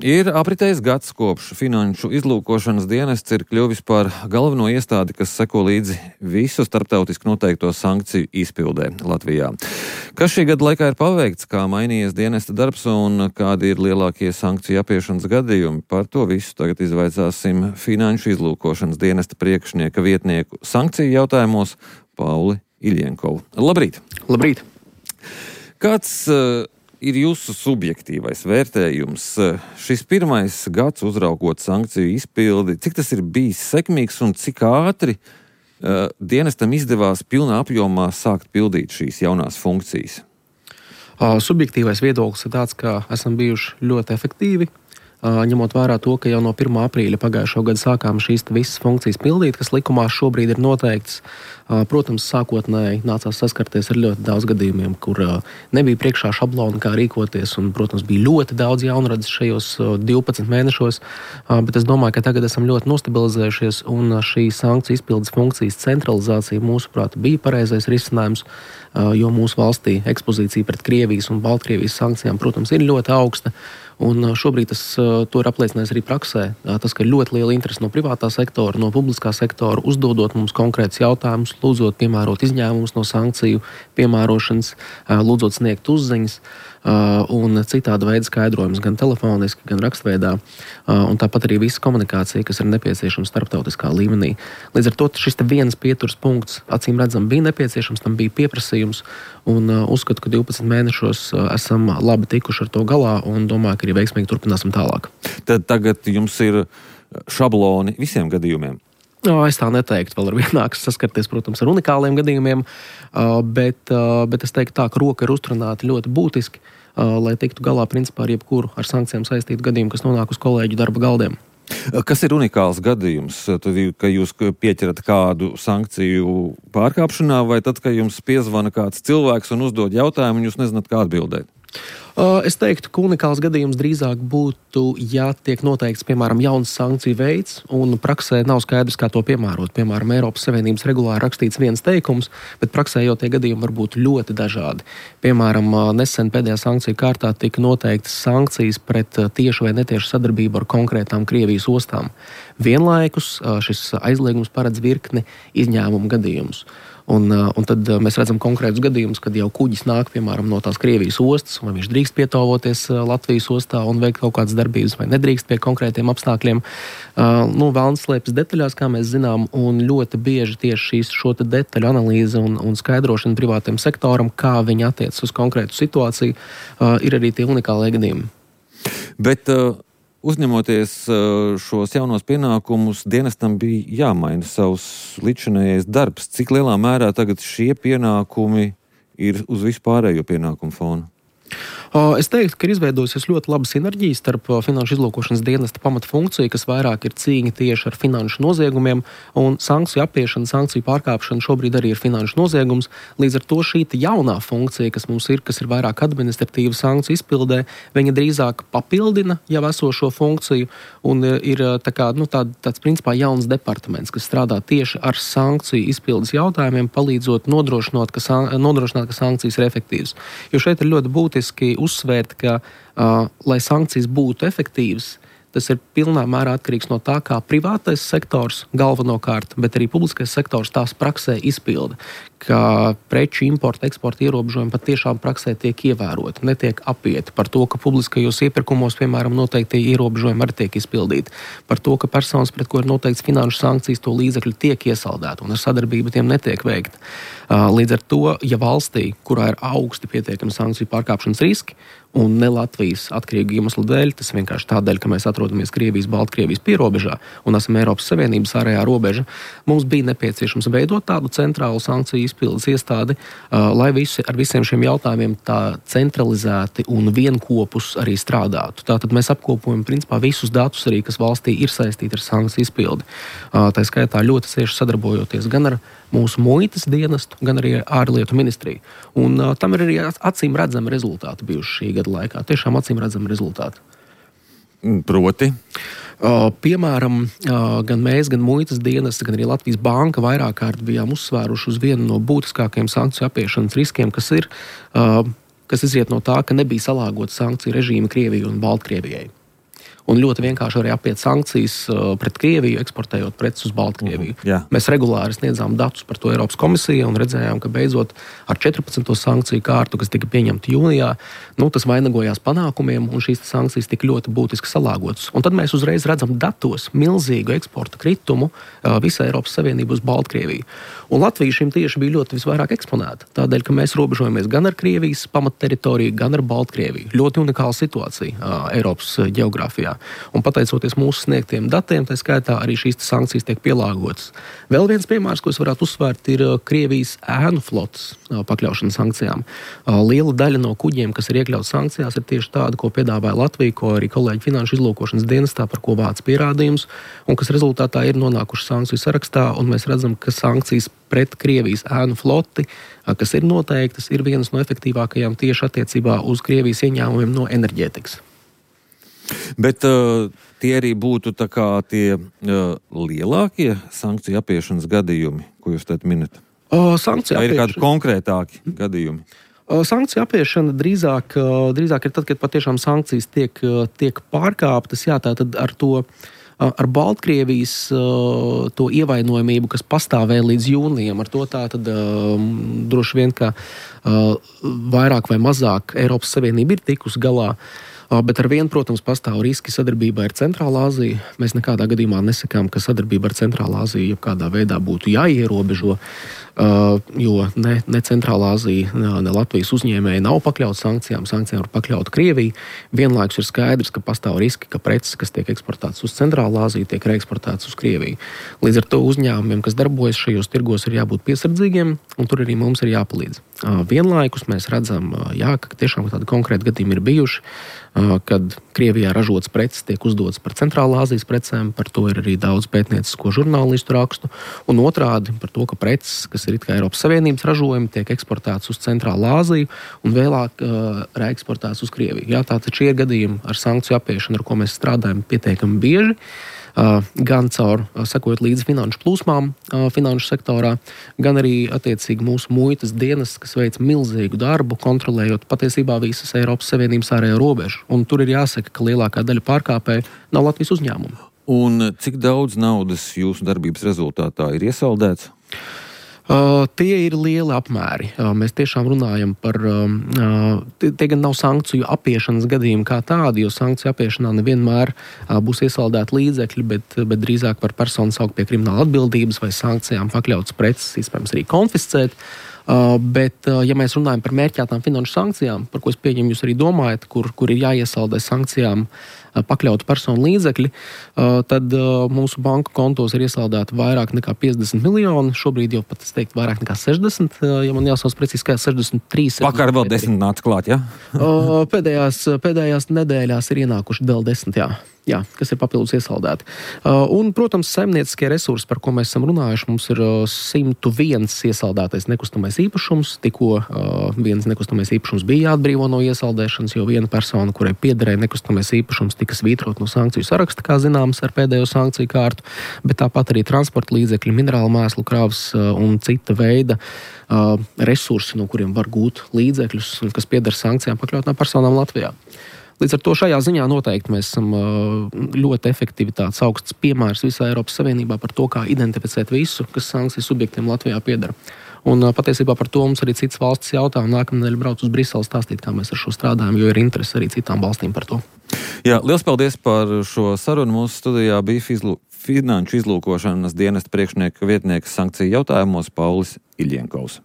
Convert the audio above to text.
Ir apritējis gads, kopš Finanšu izlūkošanas dienests ir kļuvis par galveno iestādi, kas seko līdzi visu starptautiski noteikto sankciju izpildē Latvijā. Kas šī gada laikā ir paveikts, kā mainījies dienesta darbs un kādi ir lielākie sankciju apiešanas gadījumi? Par to visu tagad izvaicāsim Finanšu izlūkošanas dienesta priekšnieka vietnieku sankciju jautājumos Pauli Iļienkovu. Labrīt! Labrīt! Kāds ir jūsu subjektīvais vērtējums? Šis pirmais gads uzraugot sankciju izpildi, cik tas ir bijis sekmīgs un cik ātri dienestam izdevās pilnā apjomā sākt pildīt šīs jaunās funkcijas? Subjektīvais viedoklis ir tāds, ka esam bijuši ļoti efektīvi, ņemot vērā to, ka jau no 1. aprīļa pagājušo gadu sākām šīs visas funkcijas pildīt, kas likumā šobrīd ir noteikts. Protams, sākotnēji nācās saskarties ar ļoti daudz gadījumiem, kur nebija priekšā šablona, kā rīkoties, un, protams, bija ļoti daudz jaunradzes šajos 12 mēnešos, bet es domāju, ka tagad esam ļoti nostabilizējušies, un šī sankciju izpildes funkcijas centralizācija, mūsuprāt, bija pareizais risinājums, jo mūsu valstī ekspozīcija pret Krievijas un Baltkrievijas sankcijām, protams, ir ļoti augsta. Un šobrīd to ir apliecinājis arī praksē. Tas, ka ir ļoti liela interese no privātā sektora, no publiskā sektora, uzdodot mums konkrētus jautājumus, lūdzot piemērot izņēmumus no sankciju piemērošanas, lūdzot sniegt uzziņas un citāda veida skaidrojumus gan telefoniski, gan rakstveidā. Un tāpat arī visa komunikācija, kas ir nepieciešama starptautiskā līmenī. Līdz ar to šis viens pieturas punkts, acīm redzam, bija nepieciešams, tam bija pieprasījums. Un uzskatu, ka 12 mēnešos esam labi tikuši ar to galā un domāju, ka arī veiksmīgi turpināsim tālāk. Tad tagad jums ir šabloni visiem gadījumiem? Es tā neteiktu, vēl ar vienāks saskarties, protams, ar unikāliem gadījumiem, bet es teiktu tā, ka roka ir uzturināta ļoti būtiski, lai tiktu galā principā ar jebkuru ar sankcijām saistītu gadījumu, kas nonāk uz kolēģu darba galdiem. Kas ir unikāls gadījums? Tad, ka jūs pieķerat kādu sankciju pārkāpšanā, vai tad, ka jums piezvana kāds cilvēks un uzdod jautājumu, un jūs nezināt, kā atbildēt? Es teiktu, ka unikāls gadījums drīzāk būtu, ja tiek noteikts, piemēram, jauns sankciju veids, un praksē nav skaidrs, kā to piemērot. Piemēram, Eiropas Savienības regulā rakstīts viens teikums, bet praksē jau tie gadījumi var būt ļoti dažādi. Piemēram, nesen pēdējā sankciju kārtā tika noteiktas sankcijas pret tiešu vai netiešu sadarbību ar konkrētām Krievijas ostām. Vienlaikus šis aizliegums paredz virkni izņēmumu gadījumus. Un tad mēs redzam konkrētus gadījumus, kad jau kuģis nāk, piemēram, no tās Krievijas ostas, vai viņš drīkst pietāvoties Latvijas ostā un veikt kaut kādas darbības, vai nedrīkst pie konkrētiem apstākļiem. Velns slēpjas detaļās, kā mēs zinām, un ļoti bieži tieši šo detaļu analīze un skaidrošana privātajam sektoram, kā viņi attiecas uz konkrētu situāciju, ir arī tie unikālie gadījumi. Bet uzņemoties šos jaunos pienākumus, dienestam bija jāmaina savs līdzinājais darbs. Cik lielā mērā tagad šie pienākumi ir uz vispārējo pienākumu fonu? Es teiktu, ka ir izveidojusies ļoti laba sinerģija starp Finanšu izlūkošanas dienesta pamatfunkciju, kas vairāk ir cīņa tieši ar finanšu noziegumiem, un sankciju apiešana, sankciju pārkāpšana šobrīd arī ir finanšu noziegums. Līdz ar to šī jaunā funkcija, kas mums ir, kas ir vairāk administratīva sankciju izpildē, viņa drīzāk papildina jau esošo funkciju, un ir tāds principā jauns departaments, kas strādā tieši ar sankciju izpildes jautājumiem, palīdzot nodrošināt, ka sankcijas ir efektīvas. Jo šeit ir ļoti būtiski uzsvērt, ka, lai sankcijas būtu efektīvas, tas ir pilnā mērā atkarīgs no tā, kā privātais sektors galvenokārt, bet arī publiskais sektors tās praksē izpilda, ka preču importa, eksporta ierobežojumi patiešām praksē tiek ievēroti, netiek apieti par to, ka publiskajos iepirkumos, piemēram, noteikti ierobežojumi arī tiek izpildīti, par to, ka personas, pret ko ir noteikts finanšu sankcijas, to līdzekļu tiek iesaldēti un ar sadarbību tiem netiek veikta. Līdz ar to, ja valstī, kurā ir augsti pietiekami sankciju pārkāpšanas riski, un ne Latvijas atkarīgu iemeslu dēļ, tas vienkārši tādēļ, ka mēs atrodamies Krievijas, Baltkrievijas pierobežā un esam Eiropas Savienības ārējā robeža, mums bija nepieciešams veidot tādu centrālu sankciju izpildes iestādi, lai ar visiem šiem jautājumiem tā centralizēti un vienkopus arī strādātu. Tātad mēs apkopojam principā visus datus arī, kas valstī ir saistīti ar sankciju izpildi. Tā skaitā ļoti cieši sadarbojoties gan ar mūsu muitas dienestu, gan arī ārlietu ministriju. Un tam ir arī acīm redzami rezultāti bijuši šī gada laikā. Tiešām acīm redzami rezultāti. Proti? Piemēram, gan mēs, gan muitas dienesti, gan arī Latvijas banka vairāk kārt bijām uzsvēruši uz vienu no būtiskākajiem sankciju apiešanas riskiem, kas izriet no tā, ka nebija salāgota sankciju režīma Krievijai un Baltkrievijai. Un ļoti vienkārši arī apiet sankcijas pret Krieviju, eksportējot preces uz Baltkrieviju. Mēs regulāri sniedzām datus par to Eiropas komisijai un redzējām, ka beidzot ar 14. sankciju kārtu, kas tika pieņemta jūnijā, tas vainagojās panākumiem un šīs sankcijas tika ļoti būtiski salāgotas. Un tad mēs uzreiz redzam datos milzīgu eksporta kritumu visai Eiropas Savienību uz Baltkrieviju. Un Latvija šim tieši bija ļoti visvairāk eksponēta. Tādēļ, ka mēs robežojamies gan ar Krievijas pamatteritoriju, gan ar Baltkrieviju. Ļoti unikāla situācija Eiropas ģeogrāfijā. Un pateicoties mūsu sniegtiem datiem, tā skaitā arī šīs sankcijas tiek pielāgotas. Vēl viens piemērs, ko es varētu uzsvērt, ir Krievijas ēnu flotes pakļaušana sankcijām. Liela daļa no kuģiem, kas ir iekļauts sankcijās, ir tieši tāda, ko piedāvāja Latvija, ko arī kolēģi Finanšu izlūkošanas dienestā, par ko vāc pierādījums, un kas rezultātā ir nonākuši sankciju sarakstā, un mēs redzam, ka sankcijas pret Krievijas ēnu floti, kas ir noteiktas, ir vienas no efektīvākajām tieši attiecībā uz Krievijas ieņēmumiem no enerģētikas. Bet tie arī būtu tā kā tie lielākie sankciju apiešanas gadījumi, ko jūs tad minat? Vai ir kādi konkrētāki gadījumi? Sankciju apiešana drīzāk ir tad, kad patiešām sankcijas tiek pārkāptas. Jā, tātad ar Baltkrievijas to ievainojamību, kas pastāvēja līdz jūnijam, ar to tātad droši vien, ka vairāk vai mazāk Eiropas Savienība ir tikusi galā. Bet ar vienu, protams, pastāv riski sadarbībā ar Centrālā Aziju. Mēs nekādā gadījumā nesakām, ka sadarbība ar Centrālā Aziju jebkādā veidā būtu jāierobežo, jo ne Centrālā Azija, ne Latvijas uzņēmēji nav pakļauts sankcijām. Sankcijām ir pakļauta Krievija. Vienlaikus ir skaidrs, ka pastāv riski, ka preces, kas tiek eksportētas uz Centrālā Aziju, tiek reeksportētas uz Krieviju. Līdz ar to uzņēmumiem, kas darbojas šajos tirgos, ir jābūt piesardzīgiem, un tur arī mums ir jāpalīdz. Vienlaikus mēs redzam, ka tiešām tādi konkrēti gadījumi ir bijuši, kad Krievijā ražotas preces tiek uzdotas par Centrālā Azijas precēm, par to ir arī daudz pētniecisko žurnālistu rakstu, un otrādi par to, ka preces, kas ir it kā Eiropas Savienības ražojumi, tiek eksportētas uz Centrālā Aziju un vēlāk reeksportētas uz Krieviju. Jā, tātad šie gadījumi ar sankciju apiešanu, ar ko mēs strādājam pietiekami bieži, gan caur sekojot līdzi finanšu plūsmām finanšu sektorā, gan arī attiecīgi mūsu muitas dienas, kas veic milzīgu darbu, kontrolējot patiesībā visas Eiropas Savienības ārējo robežu. Un tur ir jāsaka, ka lielākā daļa pārkāpēju nav Latvijas uzņēmumu. Un cik daudz naudas jūsu darbības rezultātā ir iesaldēts? Tie ir lieli apmēri. Mēs tiešām runājam par... Tie gan nav sankciju apiešanas gadījumi kā tādi, jo sankciju apiešanā nevienmēr būs iesaldēti līdzekļi, bet drīzāk par personu saukt pie krimināla atbildības vai sankcijām pakļautas preces, iespējams arī konfiscēt. Bet, ja mēs runājam par mērķētām finanšu sankcijām, par ko es pieņemu jūs arī domājat, kur ir jāiesaldē sankcijām pakļautu personu līdzekļi, tad mūsu banku kontos ir iesaldēti vairāk nekā 50 miljoni. Šobrīd jau pat, es teiktu, vairāk nekā 60, ja man jāsauc precīzi skaits, 63. Vakar vēl 10 nāca klāt, jā? Pēdējās nedēļās ir ienākuši vēl 10, jā, kas ir papildus iesaldēti. Un, protams, saimnieciskie resursi, par ko mēs esam runājuši, mums ir 101 iesaldētais nekustamais īpašums. Tikko viens nekustamais īpašums bija jāatbrīvo no iesaldēšanas, jo viena persona, kurai piederēja nekustamais īpašums, tika svītrot no sankciju saraksta, kā zināms, ar pēdējo sankciju kārtu, bet tāpat arī transporta līdzekļi, minerālu mēslu kravas un cita veida resursi, no kuriem var gūt līdzekļus, kas pieder sankcijām pakļautām personām Latvijā. Līdz ar to šajā ziņā noteikti mēs esam ļoti efektivitātes augsts piemērs visā Eiropas Savienībā par to, kā identificēt visu, kas sankciju subjektiem Latvijā piedara. Un patiesībā par to mums arī citas valstis jautā, un nākamnedēļ brauc uz Briseli stāstīt, kā mēs ar šo strādājam, jo ir interesi arī citām valstīm par to. Jā, liels paldies par šo sarunu. Mūsu studijā bija Finanšu izlūkošanas dienesta priekšnieka vietnieks sankciju jautājumos Paulis Iļienkovs.